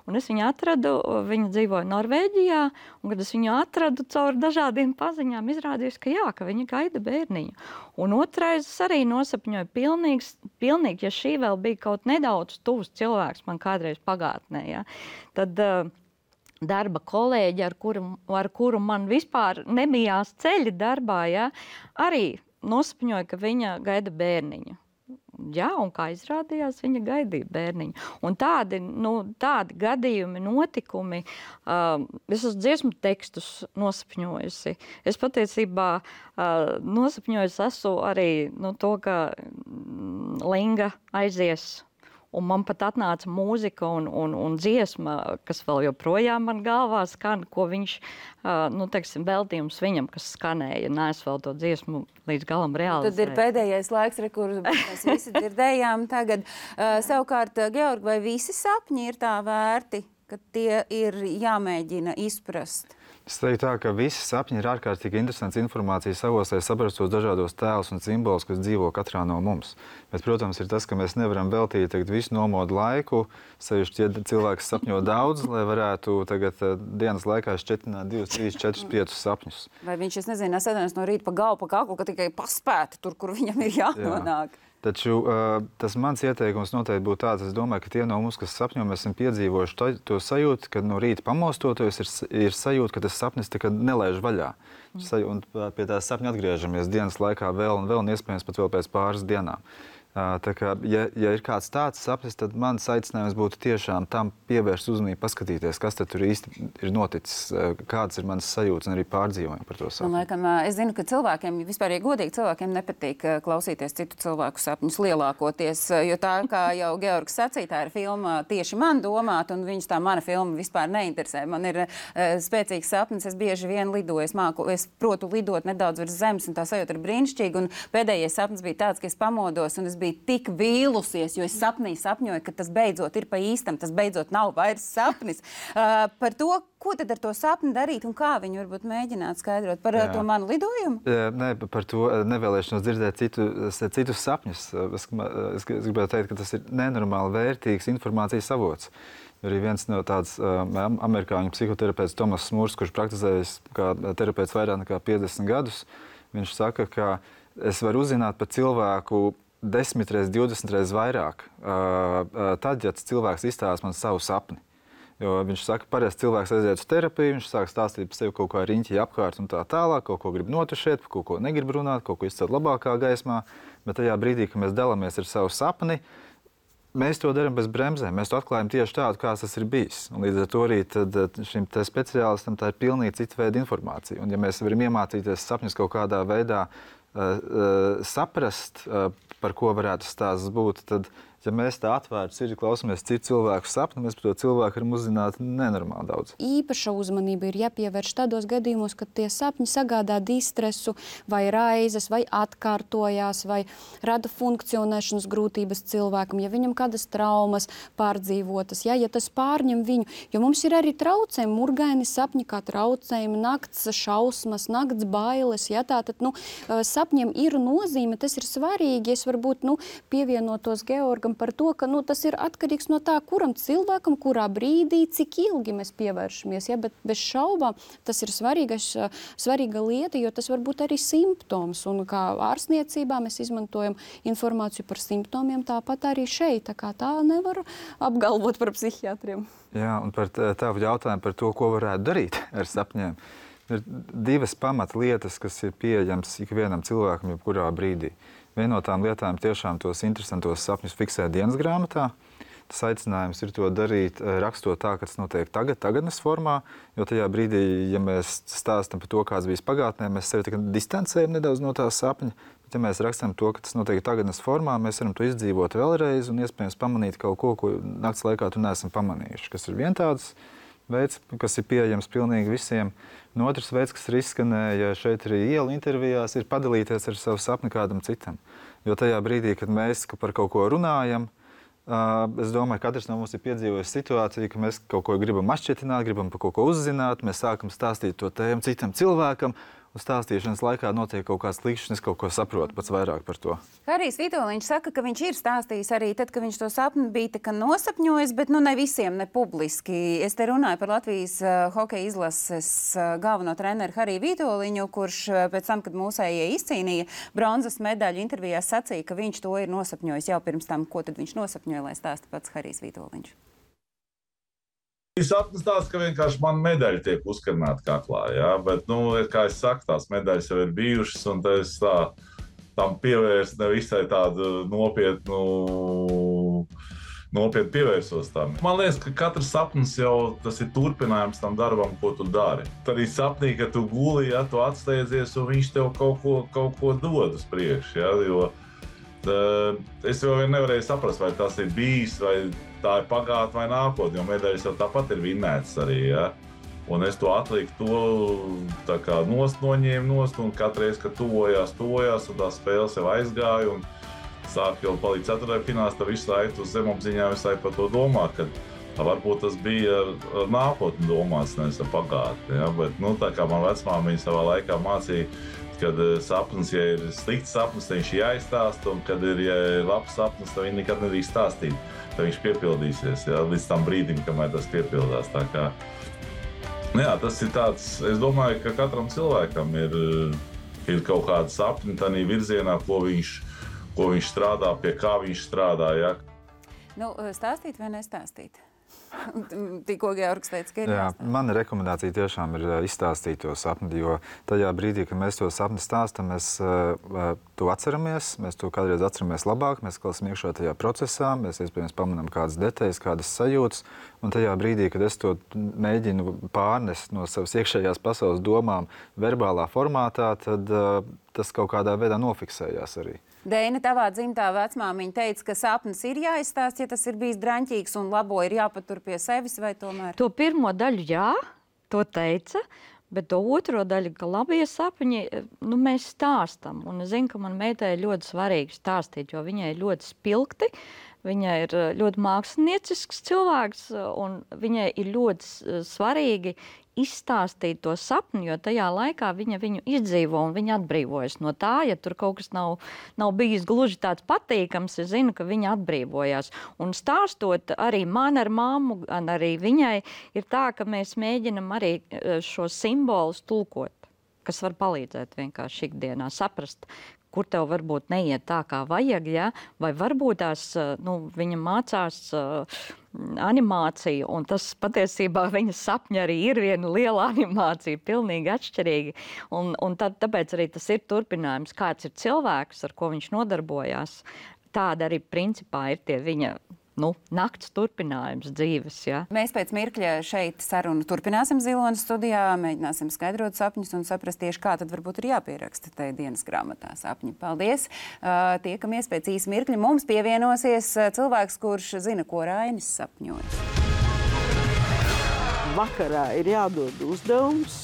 S5: Un es viņu atradu, viņa dzīvoja Norvēģijā, un kad es viņu atradu caur dažādiem paziņām, izrādījos, ka viņa gaida bērniņu. Un otrais es arī nosapņoju pilnīgi, ja šī vēl bija kaut nedaudz tuvs cilvēks man kādreiz pagātnē, ja, tad darba kolēģi, ar kuru man vispār nebijās ceļi darbā, ja, arī nosapņoja, ka viņa gaida bērniņu. Jā, un kā izrādījās, viņa gaidīja bērniņu. Un tādi gadījumi, notikumi, es esmu dziesmu tekstus nosapņojusi. Es patiesībā nosapņojusi esmu arī to, ka Linga aizies. Un man pat atnāca mūzika un dziesma, kas vēl joprojām man galvā skan, ko viņš, veltījums viņam, kas skanēja. Nē, es vēl to dziesmu līdz galam realizēju.
S1: Tad ir pēdējais laiks, kur mēs visi dzirdējām tagad. Savukārt, Georg, vai visi sapņi ir tā vērti, ka tie ir jāmēģina izprast?
S3: Es teiktu tā, ka visi sapņi ir ārkārtīgi interesants informācijas avots, lai saprastu tos dažādos tēlus un simbolus, kas dzīvo katrā no mums. Bet, protams, ir tas, ka mēs nevaram veltīt visu nomodu laiku, sevišķi, ja cilvēks sapņo daudz, lai varētu tagad dienas laikā šķetināt 2, 3, 4, 5 sapņus.
S1: Vai viņš, es nezinu, nesēdienas no rīta pa galvu, pa kaklu, ka tikai paspēta tur, kur viņam ir jānonāk? Jā.
S3: Taču tas mans ieteikums noteikti būtu tāds, es domāju, ka tie no mums, kas sapņo, mēs esam piedzīvojuši to sajūtu, ka no rīta pamostoties ir sajūta, ka tas sapnis tā kā nelaiž vaļā. Un pie tā sapņa atgriežamies dienas laikā vēl un iespējams pat vēl pēc pāris dienām. Tā kā, ja ir kāds tāds sapnis, tad mans aicinājums būtu tiešām tam pievērst uzmanību, paskatīties, kas tad tur īsti ir noticis, kādas ir manas sajūtas un arī pārdzīvojumi par to sapni.
S1: Es zinu, ka cilvēkiem, vispār, ja godīgi, cilvēkiem nepatīk klausīties citu cilvēku sapņus lielākoties, jo tā, kā jau Georgs sacīja, tā ir filma tieši man domāt, un viņus tā mana filma vispār neinteresē. Man ir spēcīgs sapnis, es bieži vien lidoju, es protu lidot nedaudz virs zemes, un tā sajūta ir brīnišķīga, un pēdējais sapnis bija tāds, ka es pamodos, un es biju tik vīlusies, jo es sapņoju, ka tas beidzot ir pa īstam, tas beidzot nav vairs sapnis. Par to, ko tad ar to sapni darīt un kā viņu varbūt mēģināt skaidrot par to manu lidojumu?
S3: Nē, par to nevēlēšanos dzirdēt citus sapņus. Es gribētu teikt, ka tas ir nenormāli vērtīgs informācijas avots. Arī viens no tāds amerikāņu psihoterapeits Tomas Smurs, kurš praktizējis kā terapeits vairāk nekā 50 gadus, viņš saka, ka es varu uzzināt par cilvēku 10 reiz, 20 reiz vairāk, tad, ja cilvēks izstāsta man savu sapni. Jo viņš saka, parasti cilvēks aiziet uz terapiju, viņš sāk stāstīt par sevi kaut kā riņķi apkārt un tā tālāk, kaut ko grib notušēt, par kaut ko negrib runāt, kaut ko izcelt labākā gaismā, bet tajā brīdī, kad mēs dalāmies ar savu sapni, mēs to darām bez bremzēm, mēs to atklājam tieši tādu, kāds tas ir bijis. Un līdz ar to arī šim speciālistam tā ir pilnīgi cita veida informācija. Un ja mēs varam iemācīties sapņus kaut kādā veidā saprast, par ko varētu stāsts būt, tad, ja mēs tā atvērti sirdi klausamies citu cilvēku sapni, mēs par to cilvēku varam uzzināt nenormāli daudz.
S10: Īpaša uzmanība ir jāpievērš tādos gadījumos, kad tie sapņi sagādā distresu vai raizes, vai atkārtojās, vai rada funkcionēšanas grūtības cilvēkam, ja viņam kādas traumas pārdzīvotas, ja tas pārņem viņu. Jo mums ir arī traucējumi, murgaini sapņi kā traucējumi, nakts šausmas, nakts bailes. Ja, tātad, sapņiem ir nozīme, tas ir svarīgi. Es varbūt pievienotos Georgam par to, ka tas ir atkarīgs no tā, kuram cilvēkam, kurā brīdī, cik ilgi mēs pievēršamies. Ja? Bet bez šaubām tas ir svarīga lieta, jo tas var būt arī simptoms. Un kā ārstniecībā mēs izmantojam informāciju par simptomiem, tāpat arī šeit. Tā nevar apgalvot par psihiatriem.
S3: Jā, un par tavu jautājumu par to, ko varētu darīt ar sapņiem. Ir divas pamatlietas, kas ir pieejamas ikvienam cilvēkam jebkurā brīdī. Viena no tām lietām tiešām tos interesantos sapņus fiksēt dienas grāmatā. Tas aicinājums ir to darīt, rakstot tā, ka tas notiek tagadnes formā, jo tajā brīdī, ja mēs stāstam par to, kāds bijis pagātnē, mēs sevi distancējam nedaudz no tā sapņa. Bet, ja mēs rakstam to, ka tas notiek tagadnes formā, mēs varam to izdzīvot vēlreiz un iespējams pamanīt kaut ko, ko nakts laikā tu neesam pamanījuši. Kas ir viens tāds veids, kas ir pieejams pilnīgi visiem. Un otrs veids, kas ir izskanēja šeit arī ielu intervijās, ir padalīties ar savu sapni kādam citam. Jo tajā brīdī, kad mēs par kaut ko runājam, Es domāju, ka katrs no mums ir piedzīvojis situāciju, ka mēs kaut ko gribam atšķietināt, gribam par kaut ko uzzināt, mēs sākam stāstīt to tēmu citam cilvēkam, un stāstīšanas laikā notiek kaut kāds klikšķis, es kaut ko saprotu pats vairāk par to.
S1: Harijs Vitoļņš saka, ka viņš ir stāstījis arī tad, kad viņš to sapni bija tā kā nosapņojis, bet ne visiem, ne publiski. Es te runāju par Latvijas hokeja izlases galveno treneru Hariju Vitoļņu, kurš pēc tam, kad mūsējie izcīnīja bronzas medaļu, intervijās sacīja, ka viņš to ir nosapņojis jau pirms tam. Ko tad viņš nosapņoja, lai stāsta pats Harijs Vitoļņš?
S4: Sapnis tāds, ka vienkārši man medaļa tiek uzkarināta kaklā, ja? Bet, kā es saku, tās medaļas jau ir bijušas, un es tam pievērstu nevisai tādu nopietnu pievērsos tam. Man liekas, ka katrs sapnis jau tas ir turpinājums tam darbam, ko tu dari. Tad arī sapnī, ka tu guli, ja tu atsteidzies, un viņš tev kaut ko dod uz priekšu, ja? Jo es jau nevarēju saprast, vai tas ir bijis, vai tā ir pagātne vai nākotne, jo medaļas jau tāpat ir vinnētas arī, ja? Un es to atliku tā kā noņēmu, un katru reizi, kad tuvojās, un tā spēles jau aizgāja, un sāk jau palīdz 4. fināls, tad visu laiku uz zemapziņā visu laiku par to domā, ka varbūt tas bija ar nākotni domāts, nevis ar pagātni, ja? Bet, tā kā man vecmāmiņa savā laikā mācīja, kad sapnis, ja ir slikts sapnis, tad viņš jāizstāsta, un kad ja ir labs sapnis, tad viņi nekad nedrīkst stāstīt. Tad viņš piepildīsies, ja, līdz tam brīdim, kamēr tas piepildās. Tā kā, tas ir tāds, es domāju, ka katram cilvēkam ir kaut kāda sapņa tādā virzienā, ko viņš strādā, pie kā viņš strādā. Ja.
S1: Stāstīt vai nestāstīt? Tikko Georgs teica, ka ir jāstāsta.
S3: Mana rekomendācija tiešām ir izstāstīt to sapni, jo tajā brīdī, kad mēs to sapni stāstam, mēs to atceramies, mēs to kādreiz atceramies labāk, mēs klausām iekšā tajā procesā, mēs iespējams pamanām kādas detaļas, kādas sajūtas, un tajā brīdī, kad es to mēģinu pārnest no savas iekšējās pasaules domām verbālā formātā, tad tas kaut kādā veidā nofiksējās arī.
S1: Deina, tavā dzimtā vecmāmiņa teica, ka sapnis ir jāizstāst, ja tas ir bijis draņķīgs un labo ir jāpatur pie sevis, vai tomēr?
S5: To pirmo daļu jā, to teica, bet to otro daļu, ka labie sapņi, mēs stāstam. Un es zinu, ka man meitai ir ļoti svarīgi stāstīt, jo viņai ir ļoti spilgti, viņai ir ļoti māksliniecisks cilvēks, un viņai ir ļoti svarīgi izstāstīt to sapni, jo tajā laikā viņa viņu izdzīvo un viņa atbrīvojas no tā. Ja tur kaut kas nav bijis gluži tāds patīkams, es zinu, ka viņa atbrīvojās. Un stāstot arī man ar mammu, arī viņai, ir tā, ka mēs mēģinam arī šos simbolus tulkot, kas var palīdzēt vienkārši ikdienā saprast, kur tev varbūt neiet tā, kā vajag, ja? Vai varbūt tās, viņa mācās animāciju, un tas patiesībā viņa sapņa arī ir viena liela animācija, pilnīgi atšķirīga. Un tāpēc arī tas ir turpinājums, kāds ir cilvēks, ar ko viņš nodarbojās. Tāda arī principā ir tie viņa nakts turpinājums dzīves. Ja?
S1: Mēs pēc mirkļa šeit sarunu turpināsim Zilonas studijā, mēģināsim skaidrot sapņus un saprast tieši, kā tad varbūt ir jāpieraksta tai dienas grāmatā sapņi. Paldies! Tiekamies pēc īsa mirkļa. Mums pievienosies cilvēks, kurš zina, ko Rainis sapņojas.
S2: Vakarā ir jādod uzdevums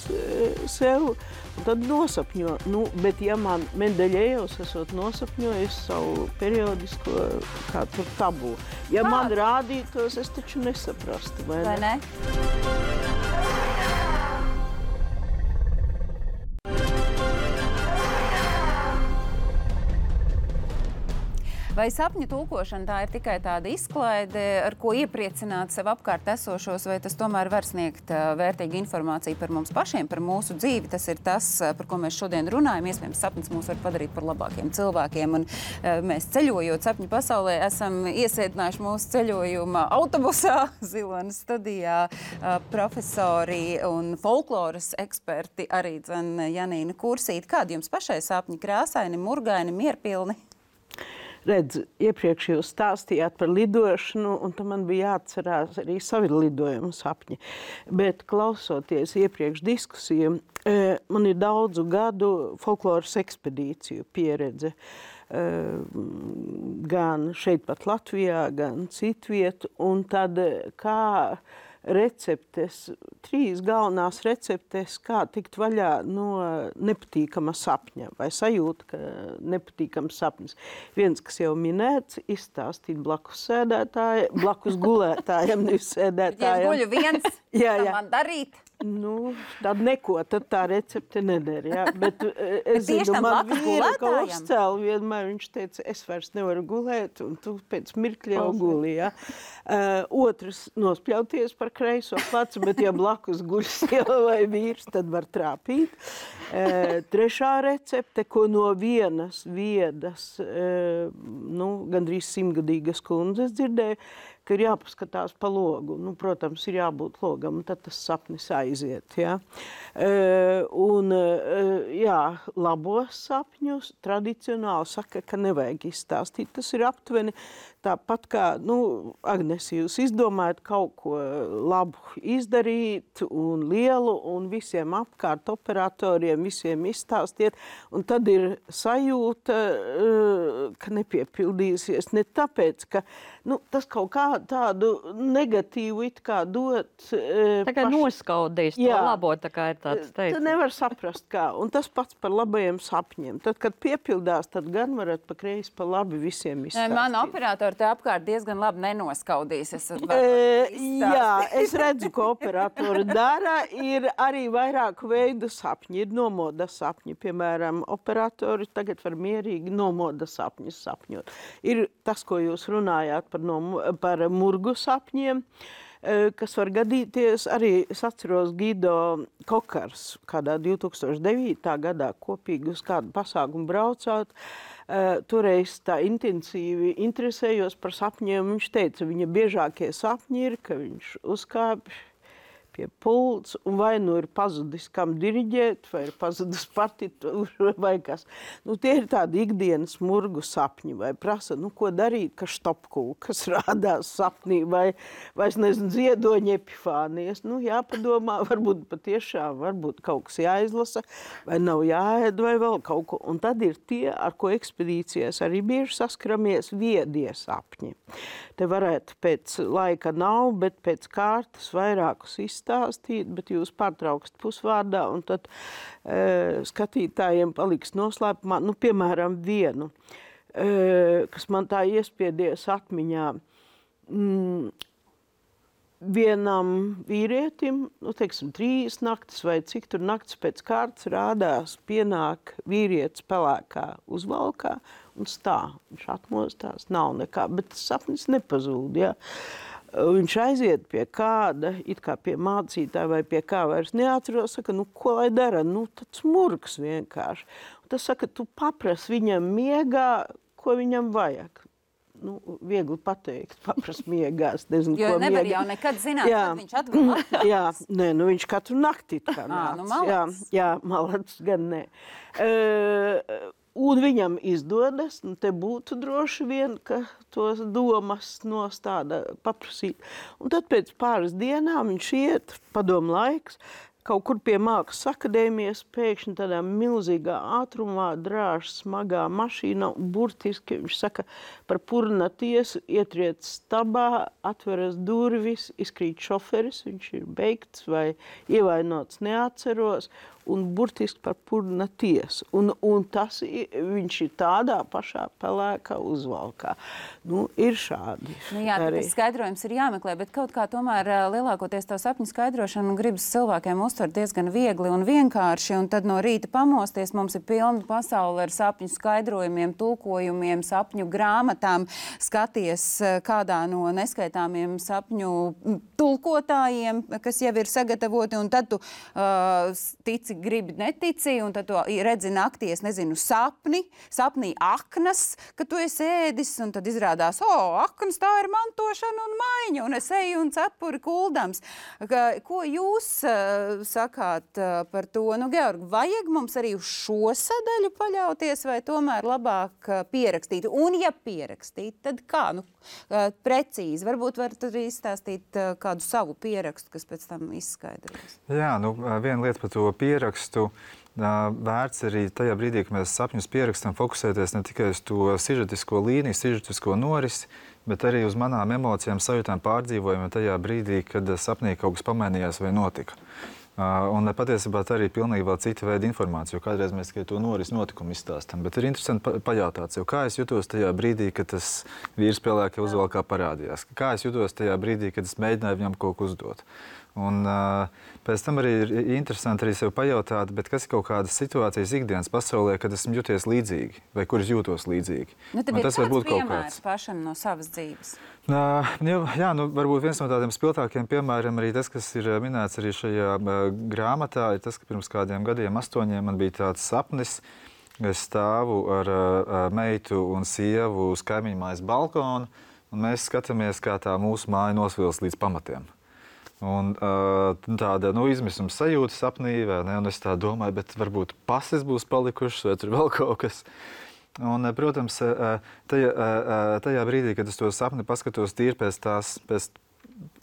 S2: sev, un tad nosapņo. Bet ja man Mendeļejevs esot nosapņojis savu periodisko kādu tabu, ja man rādītos, es taču nesaprastu, vai ne?
S1: Vai sapņu tulkošana tā ir tikai tāda izklaide, ar ko iepriecināt sev apkārt esošos, vai tas tomēr var sniegt vērtīgu informāciju par mums pašiem, par mūsu dzīvi? Tas ir tas, par ko mēs šodien runājam. Iespējams, sapnis mūs var padarīt par labākiem cilvēkiem. Un mēs ceļojot sapņu pasaulē, esam iesēdinājuši mūsu ceļojuma autobusā Zilonas studijā profesori un folkloras eksperti arī Janīna Kursīte. Kādi jums pašai sapņi? Krāsaini, murgaini, mierpilni?
S2: Redz, iepriekš jūs stāstījāt par lidošanu, un tam man bija jāatcerās arī savi lidojumu sapņi. Bet klausoties iepriekš diskusijām, man ir daudzu gadu folkloras ekspedīciju pieredze. Gan šeit pat Latvijā, gan citviet, un tad kā receptes 3 galvenās receptes, kā tikt vaļā no nepatīkama sapņa vai sajūta, ka nepatīkams sapnis. Viens, kas jau minēts, izstāstīt blakus gulētājiem, nevis sēdētājiem.
S1: Ja es guļu viens, tad man darīt?
S2: Nu, tad neko, tad tā recepte neder, jā. Bet es zinu, man vīra, ka uzcēla vienmēr, viņš teica, es vairs nevaru gulēt, un tu pēc mirkļa jau guli, jā. Otrs nospļauties par kreiso plecu, bet ja blakus guļ sieva vai vīrs, tad var trāpīt. Trešā recepte, ko no vienas viedas, gandrīz 100-gadīgas kundzes dzirdēju, ka ir jāpaskatās pa logu. Nu, protams, ir jābūt logam, un tad tas sapnis aiziet. Ja? Labos sapņus tradicionāli saka, ka nevajag izstāstīt. Tas ir aptuveni tāpat kā, Agnes, jūs izdomājat kaut ko labu izdarīt un lielu, un visiem apkārt operatoriem, visiem izstāstiet, un tad ir sajūta, ka nepiepildīsies. Ne tāpēc, ka tas kaut kā tādu negatīvu it kā dot.
S5: Tā kā noskaudīs to labo, tā kā ir tāds teiciens.
S2: Tu nevar saprast kā, un tas pats par labajiem sapņiem. Tad, kad piepildās, tad gan varat pa kreisi, pa labi visiem izstāstīt.
S1: Man operatori te apkārt diezgan labi nenoskaudīs.
S2: Es redzu, ko operatori dara. Ir arī vairāku veidu sapņi. Ir nomoda sapņi. Piemēram, operatori tagad var mierīgi nomoda sapņus sapņot. Ir tas, ko jūs runājāt par murgu sapņiem, kas var gadīties. Arī es atceros Gido Kokars, kādā 2009. Gadā kopīgi uz kādu pasākumu braucāt. Toreiz tā intensīvi interesējos par sapņiem. Viņš teica, viņa biežākie sapņi ir, ka viņš uzkāpj pie pults, un vai ir pazudis, kam diriģēt, vai ir pazudis partitūra, vai kas. Tie ir tādi ikdienas murgu sapņi, vai prasa, ko darīt, ka štopkūkas rādās sapnī, vai es nezinu, ziedoņa epifānijas. Jāpadomā, varbūt patiešām, varbūt kaut kas jāizlasa, vai nav jāēd, vai vēl kaut ko. Un tad ir tie, ar ko ekspedīcijas arī bieži saskaramies, viedie sapņi. Te varētu pēc laika nav, bet pēc kārtas vairākus izstāstīt, bet jūs pārtraukst pusvārdā, un tad skatītājiem paliks noslēpumā, piemēram, vienu, kas man tā iespiedies atmiņā. Vienam vīrietim, 3 naktis vai cik tur naktis pēc kārtas rādās, pienāk vīrietis pelēkā uzvalkā un stāv. Viņš atmostās, nav nekā, bet tas sapnis nepazūd, ja. Viņš aiziet pie kāda, it kā pie mācītāja vai pie kā vairs neatceros, saka, ko lai dara? Tāds murgs vienkārši. Un tas saka, tu paprasi viņam miegā, ko viņam vajag. Viegli pateikt, paprast miegās, nezinu,
S1: jo
S2: ko miegā.
S1: Jo nevar jau nekad zināt, kad viņš atgulās.
S2: Viņš katru nakti kā nāc. Malacis gan nē. Un viņam izdodas, te būtu droši vien, ka tos domas nostāda paprasīt. Un tad pēc pāris dienām viņš iet, padomu laiks, kaut kur pie Mākslas akadēmijas, pēkšņi tādā milzīgā ātrumā drāž smagā mašīna, un burtiski viņš saka par purna tiesu, ietriec stabā, atveras durvis, izkrīt šoferis, viņš ir beigts vai ievainots, neatceros, un burtiski par purna tiesu. Un tas viņš ir tādā pašā pelēkā uzvalkā. Ir šādi.
S1: Tas skaidrojums ir jāmeklē, bet kaut kā tomēr lielākoties to sapņu skaidrošanu gribas cilvēkiem uztvert diezgan viegli un vienkārši, un tad no rīta pamosties mums ir pilna pasaule ar sapņu skaidrojumiem, tulkojumiem, sapņu grāmatām, skaties kādā no neskaitāmiem sapņu tulkotājiem, kas jau ir sagatavoti, un tad tu tici, gribi netici, un tad tu redzi naktī, es nezinu, sapnī aknas, ka tu esi ēdis, un tad izrādās, aknas, tā ir mantošana un maiņa, un es eju un cepuri kuldams. Ko jūs sakāt par to? Georg, vajag mums arī uz šo sadaļu paļauties, vai tomēr labāk pierakstīt? Un ja pierakstīt, tad kā? Precīzi. Varbūt varat arī izstāstīt kādu savu pierakstu, kas pēc tam izskaidros.
S3: Jā, viena lieta par to pierakstu. Vērts arī tajā brīdī, kad mēs sapņus pierakstam, fokusēties ne tikai uz to sižetisko līniju, sižetisko norisi, bet arī uz manām emocijām, sajūtām, pārdzīvojumiem tajā brīdī, kad sapnī kaut kas pamainījās vai notika. Un patiesībā tā arī pilnīgi vēl cita veida informācija, jo kādreiz mēs tikai to notikumu izstāstam. Bet ir interesanti pajautāt sev, kā es jutos tajā brīdī, kad tas vīrs pelēkajā uzvalkā parādījās. Kā es jutos tajā brīdī, kad es mēģināju viņam kaut ko uzdot. Un pēc tam arī ir interesanti arī sev pajautāt, bet kas ir kaut kādas situācijas ikdienas pasaulē, kad esmu jūties līdzīgi, vai kur es jūtos līdzīgi.
S1: Tev ir kāds piemērs pašam no savas dzīves?
S3: Jā, varbūt viens no tādiem spilgtākiem piemēriem arī tas, kas ir minēts arī šajā grāmatā, ir tas, ka pirms kādiem gadiem, 8, man bija tāds sapnis. Es stāvu ar meitu un sievu uz kaimiņu mājas balkonu, un mēs skatāmies, kā tā mūsu māja nosvils līdz pamatiem. Un tāda izmisuma sajūta sapnī, vai ne? Un es tā domāju, bet varbūt pases būs palikušas, vai tur vēl kaut kas. Un, protams, tajā brīdī, kad es to sapni paskatos tīri pēc tās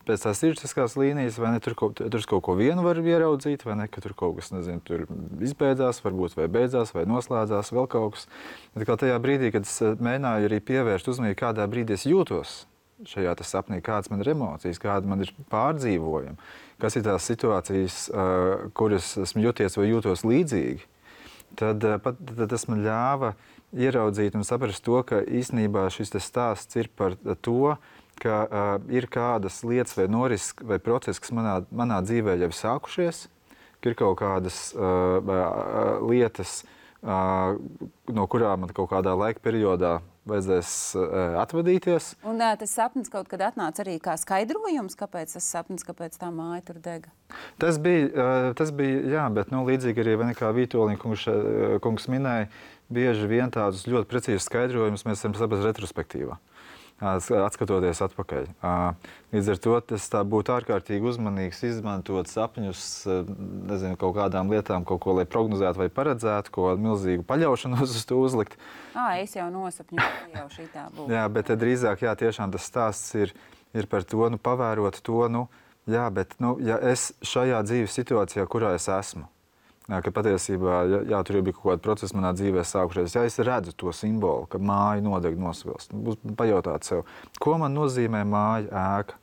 S3: sirdsapziņas līnijas, vai ne, tur kaut ko vienu var ieraudzīt, vai ne, ka tur kaut kas, nezinu, tur izbeidzās, varbūt vai beidzās, vai noslēdzās, vēl kaut kas. Bet kā tajā brīdī, kad es mēģināju arī pievērst uzmanību, kādā brīdī es jūtos šajā sapnī, kādas man ir emocijas, kāda man ir pārdzīvojumi, kas ir tās situācijas, kuras esmu jūties vai jūtos līdzīgi, tad tas man ļāva ieraudzīt un saprast to, ka īstenībā šis stāsts ir par to, ka ir kādas lietas vai norises vai procesi, kas manā dzīvē jau ir sākušies, ka ir kaut kādas lietas, no kurām man kaut kādā laika periodā vajadzēs atvadīties.
S1: Un tas sapnis kaut kad atnāca arī kā skaidrojums, kāpēc tas sapnis, kāpēc tā māja tur dega?
S3: Tas bija, jā, bet līdzīgi arī kā Vītoliņa kungs minēja, bieži vien tādus ļoti precīzus skaidrojumus mēs varam saprast retrospektīvā, atskatoties atpakaļ. Līdz ar to tas tā būtu ārkārtīgi uzmanīgs izmantot sapņus, nezinu, kaut kādām lietām, kaut ko, lai prognozētu vai paredzētu, ko milzīgu paļaušanos uz to uzlikt.
S1: Es jau nosapņoju, jau šitā būtu.
S3: Jā, bet drīzāk, jā, tiešām tas stāsts ir par to, pavērot to, jā, bet, ja es šajā dzīves situācijā, kurā es esmu, ka patiesībā, jā, tur jau bija kaut kāda procesa manā dzīvē sākušies. Ja es redzu to simbolu, ka māja nodeg nosvilst, būs pajautāt sev, ko man nozīmē māja, ēka?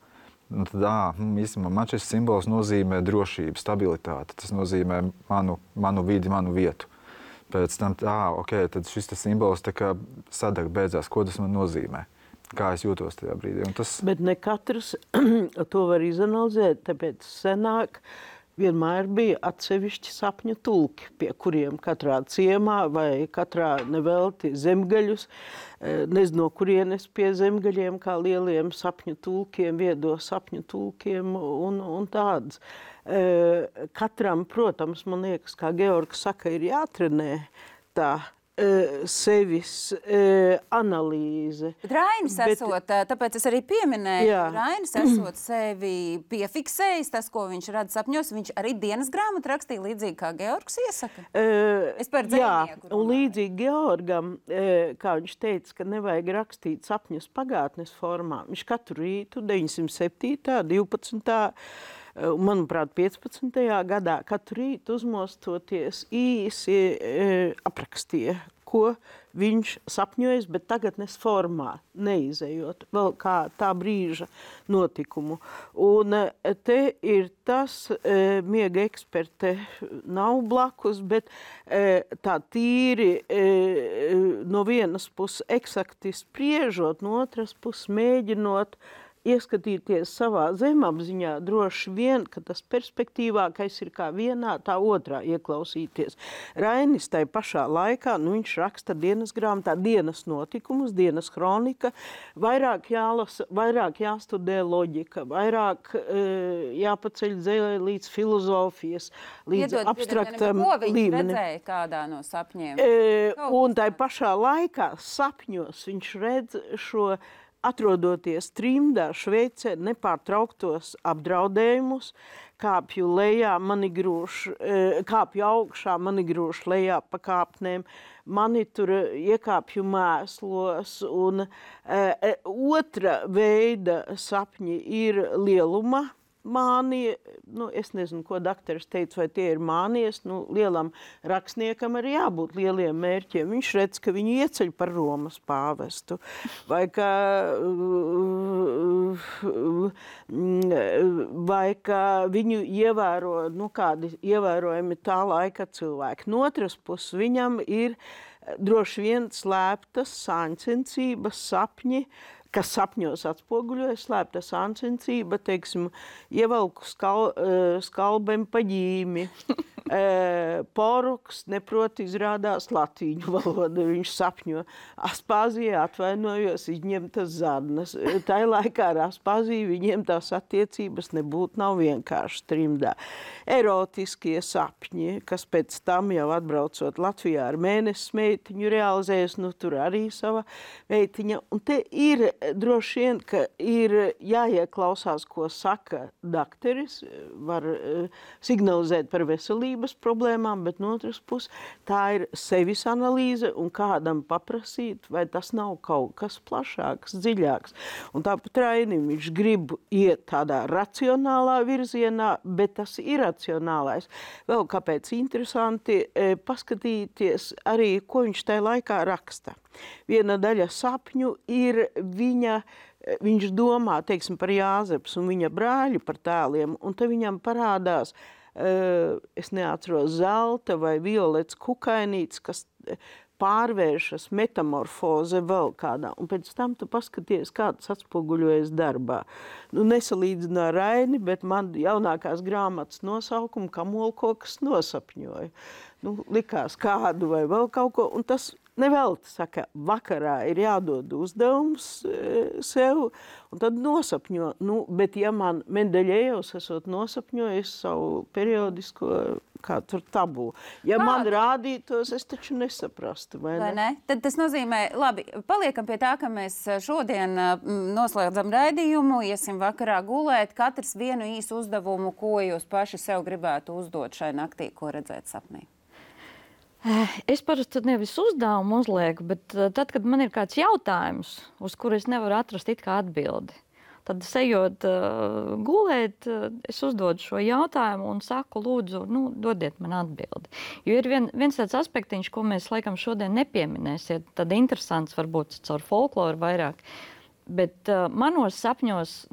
S3: Tad, īstenībā, man šis simbols nozīmē drošību, stabilitāti. Tas nozīmē manu vidi, manu vietu. Pēc tam, tad šis simbols tā kā sadeg beidzās, ko tas man nozīmē. Kā es jūtos tajā brīdī.
S2: Bet ne katrs to var izanalizēt, tāpēc senāk vienmēr bija atsevišķi sapņu tulki, pie kuriem katrā ciemā vai katrā nevelti zemgaļus, nezinu, no kurienes pie zemgaļiem, kā lieliem sapņu tulkiem, viedo sapņu tulkiem un tādas. Katram, protams, man liekas, kā Georgs saka, ir jātrenē tā sevis analīze.
S1: Bet Rainis esot, tāpēc es arī pieminēju, Rainis esot sevi piefiksējis, tas, ko viņš redz sapņos, viņš arī dienas grāmatu rakstīja līdzīgi, kā Georgs iesaka. Es par dzejnieku.
S2: Un līdzīgi Georgam, kā viņš teica, ka nevajag rakstīt sapņus pagātnes formā. Viņš katru rītu 907. 12. Manuprāt, 15. gadā katru rītu uzmostoties īsi aprakstīja, ko viņš sapņojas, bet tagadnes formā, neizejot vēl kā tā brīža notikumu. Un te ir tas, miega eksperte nav blakus, bet tā tīri no vienas puses eksakti spriežot, no otras puses mēģinot ieskatīties savā zemapziņā, droši vien, ka tas perspektīvākais ir kā vienā, tā otrā ieklausīties. Rainis tai pašā laikā, viņš raksta dienas grāmatā dienas notikumus, dienas kronika, vairāk jālasa, vairāk jāstudē loģika, vairāk jāpaceļ dzēlē līdz filozofijas, līdz abstraktam
S1: līmenim. Ko viņš
S2: līmeni.
S1: Redzēja kādā no sapņiem?
S2: Un tai pašā laikā sapņos viņš redz šo atrodoties trimdā Šveicē, nepārtrauktos apdraudējumus, kāpju lejā, mani grūž, kāpju augšā, mani grūž lejā pa kāpnēm, mani tur iekāpju mēslos, un otra veida sapņi ir lieluma mānija, es nezinu, ko dakteris teica, vai tie ir mānijas, lielam rakstniekam arī jābūt lieliem mērķiem. Viņš redz, ka viņu ieceļ par Romas pāvestu, vai ka viņu ievēro, kādi ievērojami tā laika cilvēki. No otras puses, viņam ir droši vien slēptas sāņcensības sapņi, kas sapņos atspoguļojas, slēpta sāncensība, teiksim, ievelku skalbem pa ģīmi. Poruks neprot izrādās latīņu valodu, viņš sapņo. Aspāzijā atvainojos, izņemtas zarnas. Tai laikā ar Aspāziju viņiem tās attiecības nav vienkārši trimdā. Erotiskie sapņi, kas pēc tam jau atbraucot Latvijā ar mēnesis meitiņu realizējas, tur arī sava meitiņa. Un te ir droši vien, ka ir jāieklausās, ko saka dakteris, var signalizēt par veselību problēmām, bet no otras puses tā ir sevis analīze un kādam paprasīt, vai tas nav kaut kas plašāks, dziļāks. Un tāpat Rainim viņš grib iet tādā racionālā virzienā, bet tas iracionālais. Vēl kāpēc interesanti paskatīties arī, ko viņš tajā laikā raksta. Viena daļa sapņu ir viņš domā, teiksim, par Jāzeps un viņa brāļu par tēliem, un te viņam parādās es neatceros zelta vai violets kukainītes, kas pārvēršas metamorfoze vēl kādā. Un pēc tam tu paskaties, kā tas atspoguļojas darbā. Nesalīdzinu ar Raini, bet man jaunākās grāmatas nosaukumu Kamolkokas nosapņoja. Likās kādu vai vēl kaut ko, un tas nevelti saka, vakarā ir jādod uzdevums sev, un tad nosapņo. Bet ja man Mendeļejevs esot nosapņojis savu periodisko, kā tur tabū, ja man rādītos, es taču nesaprastu, vai ne?
S1: Tad tas nozīmē, labi, paliekam pie tā, ka mēs šodien noslēdzam raidījumu, iesim vakarā gulēt, katrs vienu īsu uzdevumu, ko jūs paši sev gribētu uzdot šai naktī, ko redzēt sapnī.
S5: Es parasti nevis uzdevumu uzlieku, bet tad, kad man ir kāds jautājums, uz kuru es nevaru atrast it kā atbildi, tad ejot gulēt, es uzdodu šo jautājumu un saku, lūdzu, dodiet man atbildi. Jo ir viens tāds aspektiņš, ko mēs laikam šodien nepieminēsiet, tad interesants varbūt caur folkloru vairāk, bet manos sapņos,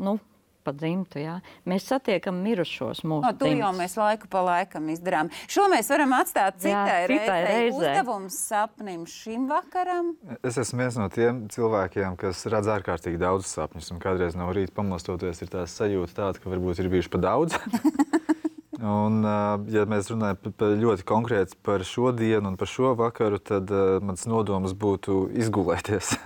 S5: pa dzimtu, jā. Mēs satiekam mirušos mūsu dzimtas.
S1: To jau mēs laiku pa laikam izdarām. Šo mēs varam atstāt citai reizei. Uzdevums sapnim šim vakaram.
S3: Es esmu viens no tiem cilvēkiem, kas redz ārkārtīgi daudz sapņus, un kādreiz no rīta pamostoties ir tās sajūta tāda, ka varbūt ir bijuši pa daudz. Un, ja mēs runājam ļoti konkrēti par šo dienu un par šo vakaru, tad mans nodoms būtu izgulēties.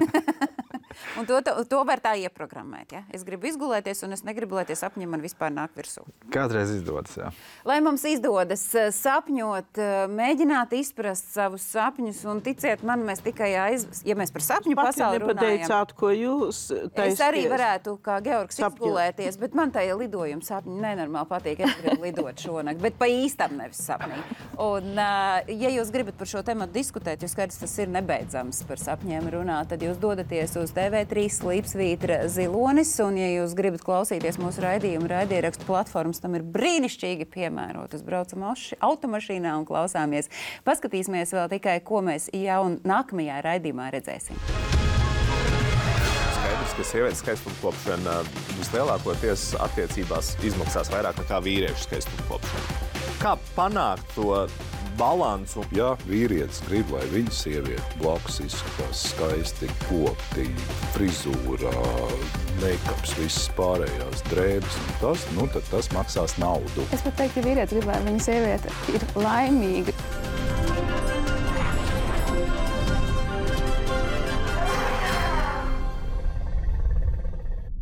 S1: Un to var tā ieprogrammēt, ja? Es gribu izgulēties, un es negribu, lai tie sapņi man vispār nāk virsū.
S3: Kādreiz izdodas, jā.
S1: Lai mums izdodas sapņot, mēģināt izprast savus sapņus, un ticiet man, mēs tikai ja mēs par sapņu pasauli runājam.
S2: Nepateicāt, ko jūs taisties.
S1: Es arī varētu, kā Georgs, izgulēties, bet man tajā lidojuma sapņi nenormāli patīk. Es gribu lidot šonakt, bet pa īstam nevis sapnī. Un, ja jūs gribat par šo tematu diskutēt, jo skaidrs, tas ir nebeidzams par sapņiem runāt, tad jūs dodaties uz TV3 Slīpsvītra Zilonis, un ja jūs gribat klausīties mūsu raidierakstu platformas, tam ir brīnišķīgi piemērotas. Braucam automašīnā un klausāmies. Paskatīsimies vēl tikai, ko mēs jau nākamajā raidījumā redzēsim.
S11: Skaidrs, ka sievietes skaistumkopšana vislielākoties attiecībās izmaksās vairāk nekā vīriešu skaistumkopšana. Kā panākt to balansu?
S12: Ja vīrietis grib, lai viņa sieviete blakus izskatās skaisti, kopti, frizūrā, meikaps, visas pārējās drēbes, tad tas maksās naudu.
S13: Es pat teiktu, ja vīrietis grib, lai viņa sieviete ir laimīga.